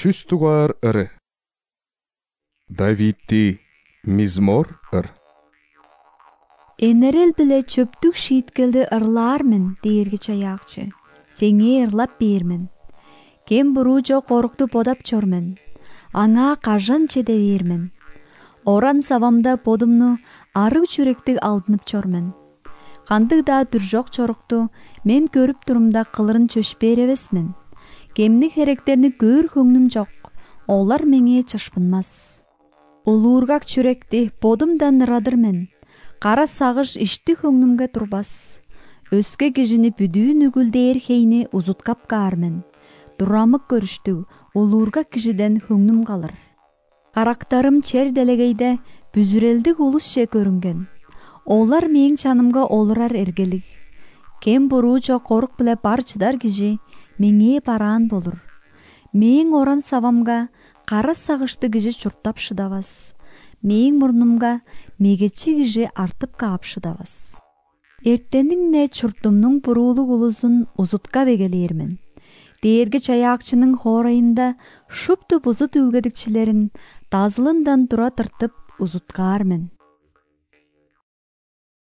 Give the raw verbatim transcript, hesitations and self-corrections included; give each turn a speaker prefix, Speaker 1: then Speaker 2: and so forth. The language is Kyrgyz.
Speaker 1: чүстугар ыры. Давидти мизмор ыр.
Speaker 2: Энерел биле чөптүк шийиткелди ырлаармын, дээрги чаякчы. Сеңе ырлап бермин. Кем буруу жок корукту бодап чормун. Аңа кажан чеде бермин. Оран сабамда бодумну арык жүрөктү алдынып чормун. Кандык да түр жок чорукту мен көрүп турумда кылырын чөшпөр эмесмин. Кемни херектерни көөр көңнүм жок. Олар меңе чашпынмас. Улуургак жүрөкти бодумдан ырадырмын. Кара сагыш ишти көңнүмгө турбас. Өскө кишини бүдүү нүгүлдээр хейни узуткап каармын. Дурамык көрүштү улуургак кишиден көңнүм калыр. Карактарым чер делегейде бүзүрелдик улусче көрүнгөн. Олар менин чанымга олурар эргелик. Кем буруу жок корук биле бар чыдар киши меңе бараан болур. Менин оран сабамга кара сагышты киши чурттап шыдабас. Менин мурнумга мегечи киши артып каап шыдабас. Эртениңне чуртумнун буруулук улусун узуткап эгелээрмин. Дээрги чаякчынын хоорайында шупту бузут үлгедикчилерин тазылындан тура тыртып узуткаармын.